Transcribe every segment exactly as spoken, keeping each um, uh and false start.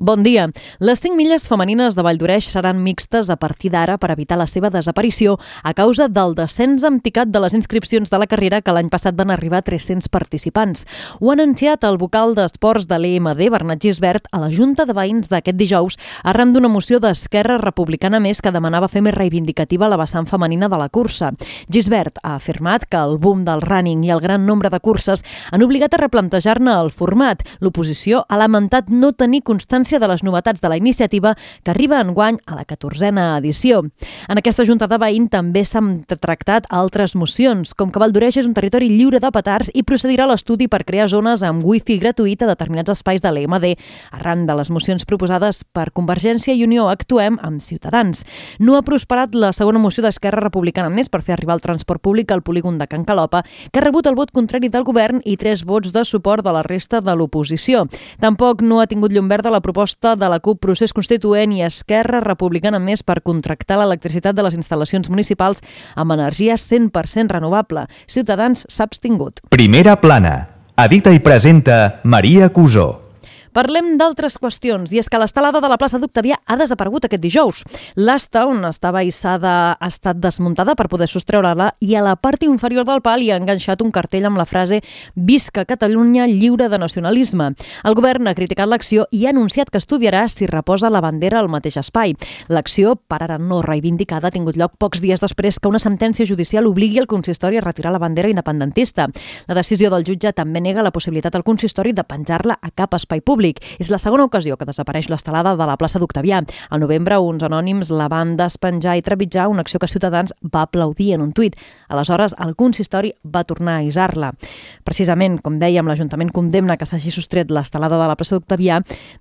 Bon dia. Les cinc milles femenines de Valldoreix seran mixtes a partir d'ara per evitar la seva desaparició a causa del descens en picat de les inscripcions de la carrera, que l'any passat van arribar a tres-cents participants. Ho ha anunciat el vocal d'Esports de l'E M D, Bernat Gisbert, a la Junta de Veïns d'aquest dijous, arran d'una moció d'Esquerra Republicana Més que demanava fer més reivindicativa la vessant femenina de la cursa. Gisbert ha afirmat que el boom del running i el gran nombre de curses han obligat a replantejar-ne el format. L'oposició ha lamentat no tenir constància de les novetats de la iniciativa, que arriba enguany a la catorzena edició. En aquesta Junta de Veïns també s'han tractat altres mocions, com que Valldoreix és un territori lliure de petards i procedirà a l'estudi per crear zones amb wifi gratuït a determinats espais de l'E M D, arran de les mocions proposades per Convergència i Unió Actuem amb Ciutadans. No ha prosperat la segona moció d'Esquerra Republicana Més per fer arribar el transport públic al polígon de Can Calopa, que ha rebut el vot contrari del govern i tres vots de suport de la resta de l'oposició. Tampoc no ha tingut llum verda la proposta de la CUP Procés Constituent i Esquerra Republicana Més per contractar l'electricitat de les instal·lacions municipals amb energia cent per cent renovable. Ciutadans s'ha abstingut. Primera plana. Edita i presenta Maria Cusó. Parlem d'altres qüestions, i és que l'estelada de la plaça d'Octavià ha desaparegut aquest dijous. L'asta on estava hissada ha estat desmuntada per poder sostreure-la i a la part inferior del pal hi ha enganxat un cartell amb la frase «Visca Catalunya lliure de nacionalisme». El govern ha criticat l'acció i ha anunciat que estudiarà si reposa la bandera al mateix espai. L'acció, per ara no reivindicada, ha tingut lloc pocs dies després que una sentència judicial obligui el consistori a retirar la bandera independentista. La decisió del jutge també nega la possibilitat al consistori de penjar-la a cap espai públic. És la segona ocasió que desapareix l'estelada de la plaça d'Octavià. Al novembre, uns anònims la van despenjar i trepitjar, una acció que Ciutadans va aplaudir en un tuit. Aleshores, el consistori va tornar a hissar-la. Precisament, com dèiem, l'Ajuntament condemna que s'hagi sostret l'estelada de la plaça d'Octavià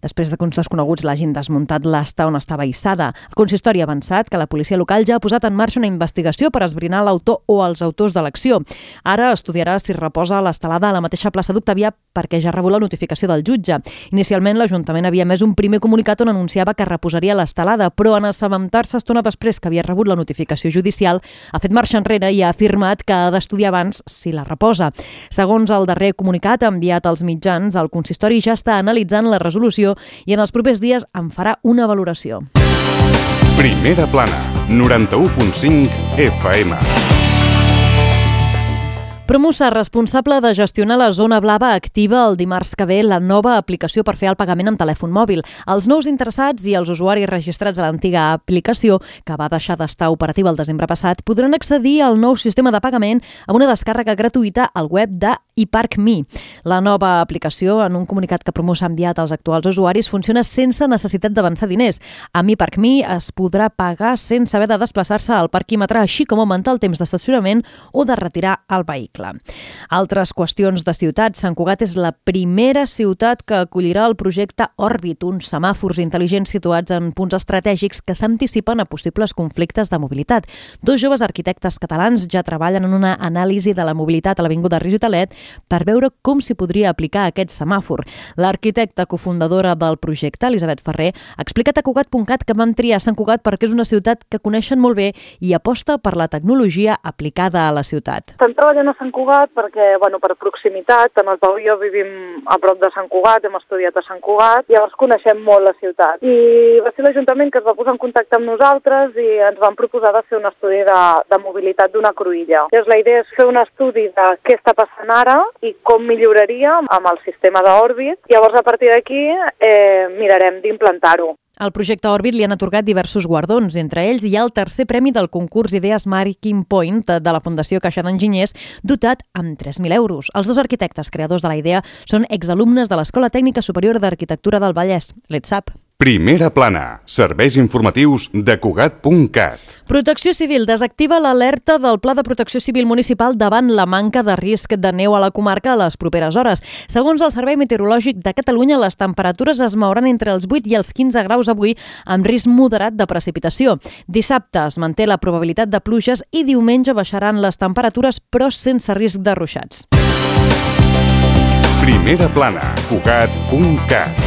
després de que uns desconeguts l'hagin desmuntat l'asta on estava hissada. El consistori ha avançat que la policia local ja ha posat en marxa una investigació per esbrinar l'autor o els autors de l'acció. Ara estudiarà si reposa l'estelada a la mateixa plaça d'Octavià perquè ja ha rebut la notificació del jutge. Inicialment, l'Ajuntament havia emès un primer comunicat on anunciava que reposaria l'estelada, però en assabentar-se estona després que havia rebut la notificació judicial, ha fet marxa enrere i ha afirmat que ha d'estudiar abans si la reposa. Segons el darrer comunicat enviat als mitjans, el consistori ja està analitzant la resolució i en els propers dies en farà una valoració. Primera plana, noranta-u punt cinc F M. Promusa, responsable de gestionar la zona blava, activa el dimarts que ve la nova aplicació per fer el pagament amb telèfon mòbil. Els nous interessats i els usuaris registrats a l'antiga aplicació, que va deixar d'estar operativa el desembre passat, podran accedir al nou sistema de pagament amb una descàrrega gratuïta al web de iPark.me. La nova aplicació, en un comunicat que Promusa ha enviat als actuals usuaris, funciona sense necessitat d'avançar diners. Amb iPark.me es podrà pagar sense haver de desplaçar-se al parquímetre, així com augmentar el temps d'estacionament o de retirar el vehicle. Altres qüestions de ciutat. Sant Cugat és la primera ciutat que acollirà el projecte Òrbit, uns semàfors intel·ligents situats en punts estratègics que s'anticipen a possibles conflictes de mobilitat. Dos joves arquitectes catalans ja treballen en una anàlisi de la mobilitat a l'Avinguda Rigotalet per veure com s'hi podria aplicar aquest semàfor. L'arquitecta cofundadora del projecte, Elisabet Ferrer, ha explicat a Cugat punt cat que van triar Sant Cugat perquè és una ciutat que coneixen molt bé i aposta per la tecnologia aplicada a la ciutat. Estan treballant a Sant Cugat perquè, bueno, per proximitat, tant el Pau i jo vivim a prop de Sant Cugat, hem estudiat a Sant Cugat, llavors coneixem molt la ciutat. I va ser l'Ajuntament que es va posar en contacte amb nosaltres i ens van proposar de fer un estudi de, de mobilitat d'una cruïlla. Llavors la idea és fer un estudi de què està passant ara i com milloraria amb el sistema d'Òrbit. Llavors a partir d'aquí eh, mirarem d'implantar-ho. Al projecte Òrbit li han atorgat diversos guardons. Entre ells hi ha el tercer premi del concurs Idees Making Point de la Fundació Caixa d'Enginyers, dotat amb tres mil euros. Els dos arquitectes creadors de la idea són exalumnes de l'Escola Tècnica Superior d'Arquitectura del Vallès, l'E T S A P. Primera plana, serveis informatius de Cugat punt cat. Protecció Civil desactiva l'alerta del Pla de Protecció Civil Municipal davant la manca de risc de neu a la comarca a les properes hores. Segons el Servei Meteorològic de Catalunya, les temperatures es mouran entre els vuit i els quinze graus avui, amb risc moderat de precipitació. Dissabte es manté la probabilitat de pluges i diumenge baixaran les temperatures, però sense risc de ruixats. Primera plana, Cugat punt cat.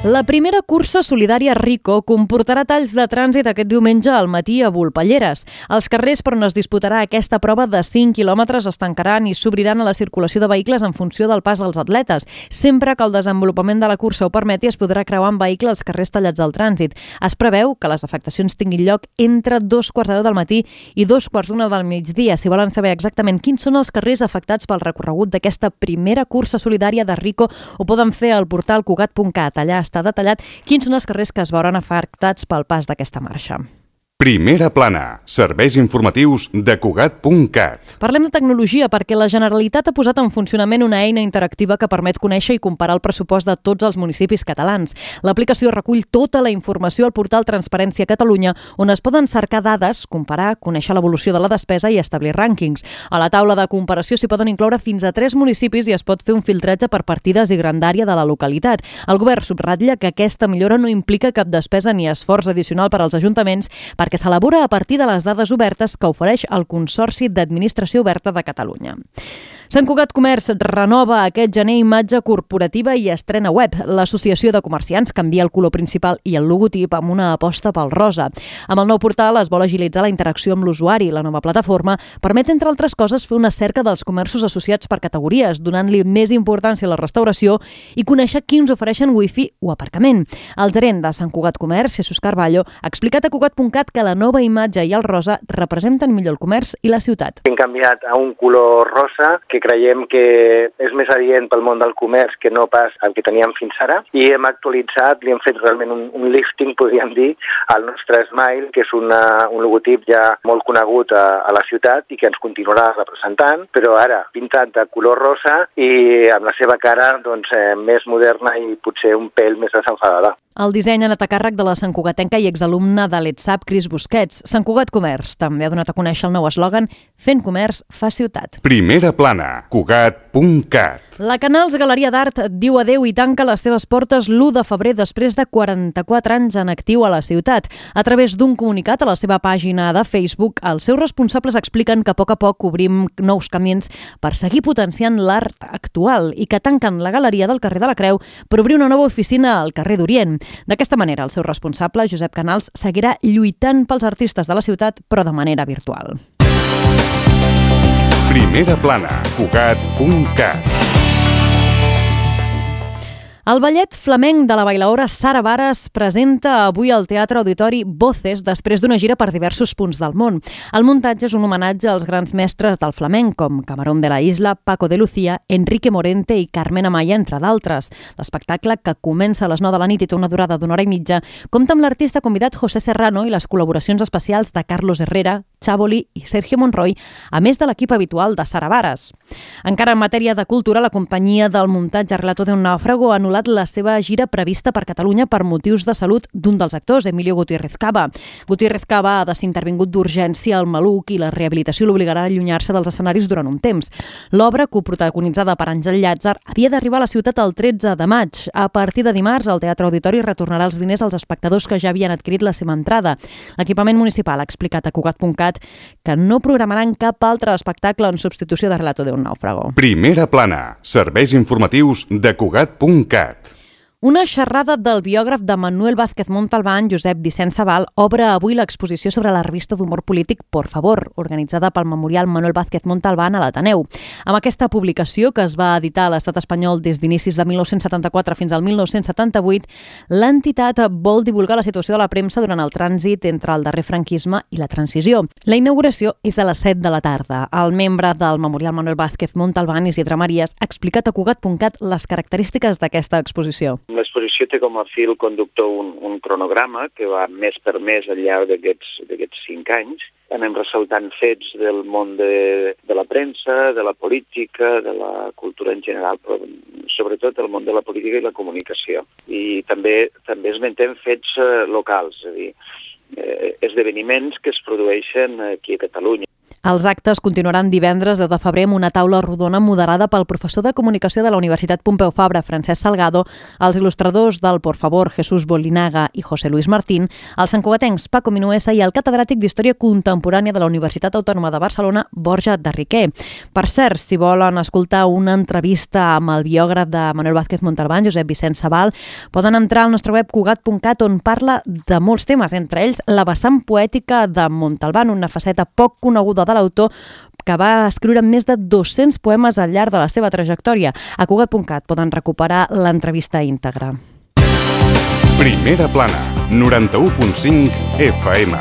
La primera cursa solidària Rico comportarà talls de trànsit aquest diumenge al matí a Volpelleres. Els carrers per on es disputarà aquesta prova de cinc quilòmetres es tancaran i s'obriran a la circulació de vehicles en funció del pas dels atletes. Sempre que el desenvolupament de la cursa ho permeti, es podrà creuar amb vehicle els carrers tallats al trànsit. Es preveu que les afectacions tinguin lloc entre dos quarts de deu del matí i dos quarts d'una del migdia. Si volen saber exactament quins són els carrers afectats pel recorregut d'aquesta primera cursa solidària de Rico, ho poden fer al portal cugat punt cat. Allà està detallat quins són els carrers que es veuran afectats pel pas d'aquesta marxa. Primera plana. Serveis informatius de cugat punt cat. Parlem de tecnologia perquè la Generalitat ha posat en funcionament una eina interactiva que permet conèixer i comparar el pressupost de tots els municipis catalans. L'aplicació recull tota la informació al portal Transparència Catalunya, on es poden cercar dades, comparar, conèixer l'evolució de la despesa i establir rànquings. A la taula de comparació s'hi poden incloure fins a tres municipis i es pot fer un filtratge per partides i grandària de la localitat. El govern subratlla que aquesta millora no implica cap despesa ni esforç addicional per als ajuntaments, perquè que s'elabora a partir de les dades obertes que ofereix el Consorci d'Administració Oberta de Catalunya. Sant Cugat Comerç renova aquest gener imatge corporativa i estrena web. L'Associació de Comerciants canvia el color principal i el logotip amb una aposta pel rosa. Amb el nou portal es vol agilitzar la interacció amb l'usuari. La nova plataforma permet, entre altres coses, fer una cerca dels comerços associats per categories, donant-li més importància a la restauració i conèixer quins ofereixen wifi o aparcament. El gerent de Sant Cugat Comerç, Jesús Carballo, ha explicat a cugat punt cat que la nova imatge i el rosa representen millor el comerç i la ciutat. Hem canviat a un color rosa que creiem que és més adient pel món del comerç que no pas el que teníem fins ara, i hem actualitzat, li hem fet realment un, un lifting, podríem dir, al nostre Smile, que és una, un logotip ja molt conegut a, a la ciutat i que ens continuarà representant, però ara pintat de color rosa i amb la seva cara doncs, eh, més moderna i potser un pèl més desenfadada. El disseny ha anat a càrrec de la santcugatenca i exalumna de l'ETSAP, Cris Busquets. Sant Cugat Comerç també ha donat a conèixer el nou eslògan «Fent comerç fa ciutat». Primera plana. cugat punt cat. La Canals Galeria d'Art diu adeu i tanca les seves portes l'u de febrer després de quaranta-quatre anys en actiu a la ciutat. A través d'un comunicat a la seva pàgina de Facebook, els seus responsables expliquen que a poc a poc obrim nous camins per seguir potenciant l'art actual i que tanquen la galeria del carrer de la Creu per obrir una nova oficina al carrer d'Orient. D'aquesta manera, el seu responsable, Josep Canals, seguirà lluitant pels artistes de la ciutat, però de manera virtual. Primera plana. cugat punt cat. El ballet flamenc de la bailaora Sara Varas presenta avui al Teatre Auditori Voces després d'una gira per diversos punts del món. El muntatge és un homenatge als grans mestres del flamenc, com Camarón de la Isla, Paco de Lucía, Enrique Morente i Carmen Amaya, entre d'altres. L'espectacle, que comença a les nou de la nit i té una durada d'una hora i mitja, compta amb l'artista convidat José Serrano i les col·laboracions especials de Carlos Herrera, Chaboli i Sergio Monroy, a més de l'equip habitual de Sara Varas. Encara en matèria de cultura, la companyia del muntatge Relato de un Náufrago ha anul·lat la seva gira prevista per Catalunya per motius de salut d'un dels actors, Emilio Gutiérrez Cava. Gutiérrez Cava ha de ser intervingut d'urgència al maluc i la rehabilitació l'obligarà a allunyar-se dels escenaris durant un temps. L'obra, coprotagonitzada per Àngel Llàtzer, havia d'arribar a la ciutat el tretze de maig. A partir de dimarts, el Teatre Auditori retornarà els diners als espectadors que ja havien adquirit la seva entrada. L'equipament municipal ha explicat a cugat punt cat que no programaran cap altre espectacle en substitució de Relato de un Náufrago. Primera plana. Serveis informatius de cugat punt cat. Una xerrada del biògraf de Manuel Vázquez Montalbán, Josep Vicent Sabal, obre avui l'exposició sobre la revista d'humor polític Por Favor, organitzada pel Memorial Manuel Vázquez Montalbán a l'Ateneu. Amb aquesta publicació, que es va editar a l'estat espanyol des d'inicis de mil nou-cents setanta-quatre fins al mil nou-cents setanta-vuit, l'entitat vol divulgar la situació de la premsa durant el trànsit entre el darrer franquisme i la transició. La inauguració és a les set de la tarda. El membre del Memorial Manuel Vázquez Montalbán, Isidre Marías, ha explicat a cugat punt cat les característiques d'aquesta exposició. L'exposició té com a fil conductor un, un cronograma que va mes per mes al llarg d'aquests cinc anys. Anem ressaltant fets del món de, de la premsa, de la política, de la cultura en general, però sobretot del món de la política i la comunicació. I també també esmentem fets eh, locals, és a dir, eh, esdeveniments que es produeixen aquí a Catalunya. Els actes continuaran divendres deu de febrer amb una taula rodona moderada pel professor de Comunicació de la Universitat Pompeu Fabra, Francesc Salgado, els il·lustradors del Por Favor, Jesús Bolinaga i José Luis Martín, els santcugatencs Paco Minuesa i el catedràtic d'Història Contemporània de la Universitat Autònoma de Barcelona, Borja de Riquer. Per cert, si volen escoltar una entrevista amb el biògraf de Manuel Vázquez Montalbán, Josep Vicenç Sabal, poden entrar al nostre web cugat punt cat, on parla de molts temes, entre ells la vessant poètica de Montalbán, una faceta poc coneguda de l'autor, que va escriure més de dos-cents poemes al llarg de la seva trajectòria. A cugat punt cat poden recuperar l'entrevista íntegra. Primera plana, noranta-u punt cinc F M.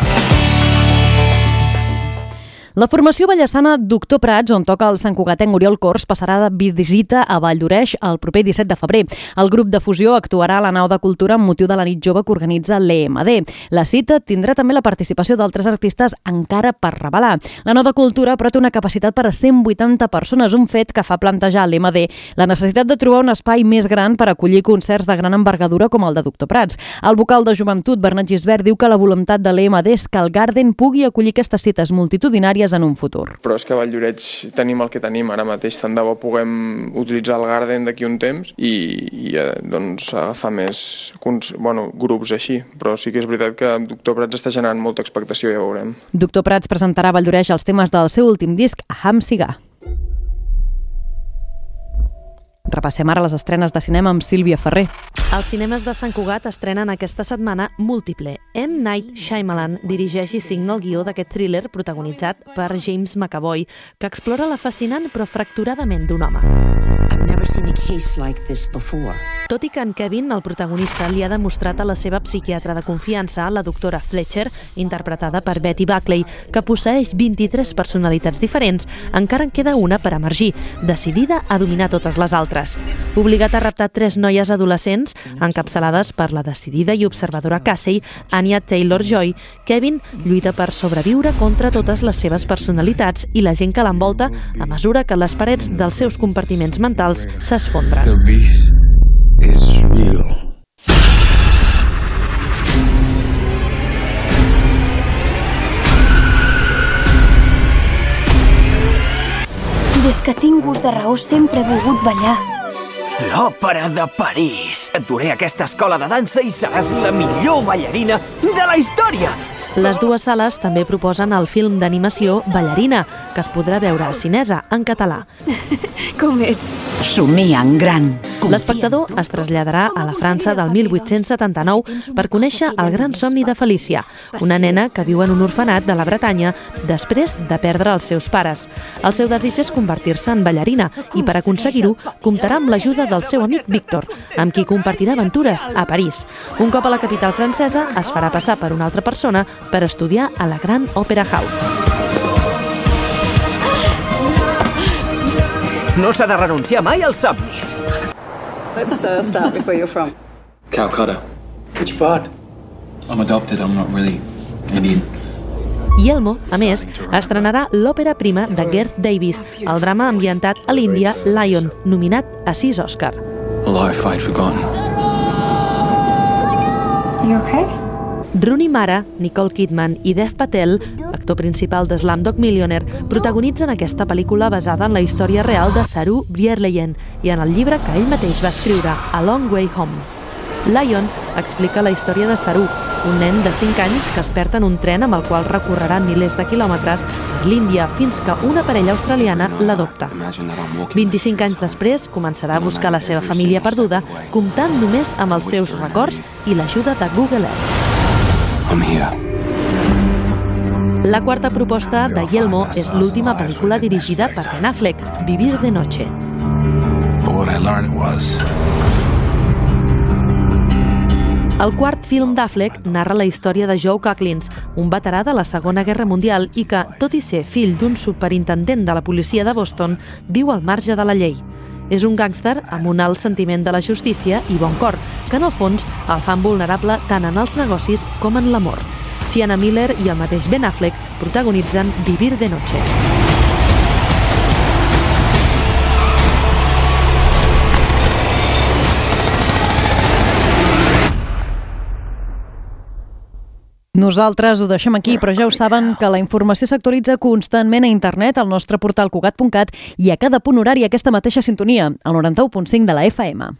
La formació ballassana Doctor Prats, on toca el santcugatenc Oriol Cors, passarà de visita a Valldoreix el proper disset de febrer. El grup de fusió actuarà a la nau de cultura amb motiu de la nit jove que organitza l'E M D. La cita tindrà també la participació d'altres artistes encara per revelar. La nau de cultura, però, té una capacitat per a cent vuitanta persones, un fet que fa plantejar a l'E M D la necessitat de trobar un espai més gran per acollir concerts de gran envergadura com el de Doctor Prats. El vocal de Joventut, Bernat Gisbert, diu que la voluntat de l'E M D és que el Garden pugui acollir aquestes cites multitudinàries en un futur. Però és que a Valldoreix tenim el que tenim ara mateix, tant de bo puguem utilitzar el Garden d'aquí un temps i, i doncs, agafar més bueno, grups així, però sí que és veritat que Doctor Prats està generant molta expectació, ja ho veurem. Doctor Prats presentarà a Valldoreix els temes del seu últim disc, Ham Siga. Repassem ara les estrenes de cinema amb Sílvia Ferrer. Els cinemes de Sant Cugat estrenen aquesta setmana Múltiple. M. Night Shyamalan dirigeix i signa el guió d'aquest thriller protagonitzat per James McAvoy, que explora la fascinant però fracturadament d'un home. Tot i que en Kevin, el protagonista, li ha demostrat a la seva psiquiatra de confiança, la doctora Fletcher, interpretada per Betty Buckley, que posseeix vint-i-tres personalitats diferents, encara en queda una per emergir, decidida a dominar totes les altres. Obligat a raptar tres noies adolescents, encapçalades per la decidida i observadora Casey, Anya Taylor-Joy, Kevin lluita per sobreviure contra totes les seves personalitats i la gent que l'envolta a mesura que les parets dels seus compartiments mentals s'esfondren. The beast is real. Des que tinc gust de raó sempre he volgut ballar. L'Òpera de París. Et duré a aquesta escola de dansa i seràs la millor ballarina de la història. Les dues sales també proposen el film d'animació Ballarina, que es podrà veure a Cinesa, en català. Com ets? Somia en gran. L'espectador es traslladarà a la França del mil vuit-cents setanta-nou per conèixer el gran somni de Felícia, una nena que viu en un orfenat de la Bretanya després de perdre els seus pares. El seu desig és convertir-se en ballarina i per aconseguir-ho comptarà amb l'ajuda del seu amic Víctor, amb qui compartirà aventures a París. Un cop a la capital francesa es farà passar per una altra persona per estudiar a la Grand Opera House. No s'ha de renunciar mai als somnis. Let's uh, start with where you're from. Calcutta. Which part? I'm adopted, I'm not really Indian. I Elmo, a més, estrenarà l'òpera prima de Garth Davis, el drama ambientat a l'Índia Lion, nominat a sis Òscar. A life I'd forgotten. You okay? Rooney Mara, Nicole Kidman i Dev Patel, actor principal de Slumdog Millionaire, protagonitzen aquesta pel·lícula basada en la història real de Saru Bierleyen i en el llibre que ell mateix va escriure, A Long Way Home. Lion explica la història de Saru, un nen de cinc anys que es perd en un tren amb el qual recorrerà milers de quilòmetres per l'Índia fins que una parella australiana l'adopta. vint-i-cinc anys després començarà a buscar la seva família perduda, comptant només amb els seus records i l'ajuda de Google Earth. I'm here. La quarta proposta de Yelmo és l'última pel·lícula dirigida per Ben Affleck, Vivir de Noche. But what I learned was... El quart film d'Affleck narra la història de Joe Coughlins, un veterà de la Segona Guerra Mundial i que, tot i ser fill d'un superintendent de la policia de Boston, viu al marge de la llei. És un gàngster amb un alt sentiment de la justícia i bon cor, que en el fons el fan vulnerable tant en els negocis com en l'amor. Sienna Miller i el mateix Ben Affleck protagonitzen Vivir de Noche. Nosaltres ho deixem aquí, però ja ho saben que la informació s'actualitza constantment a internet, al nostre portal cugat punt cat i a cada punt horari aquesta mateixa sintonia, al noranta u punt cinc de la F M.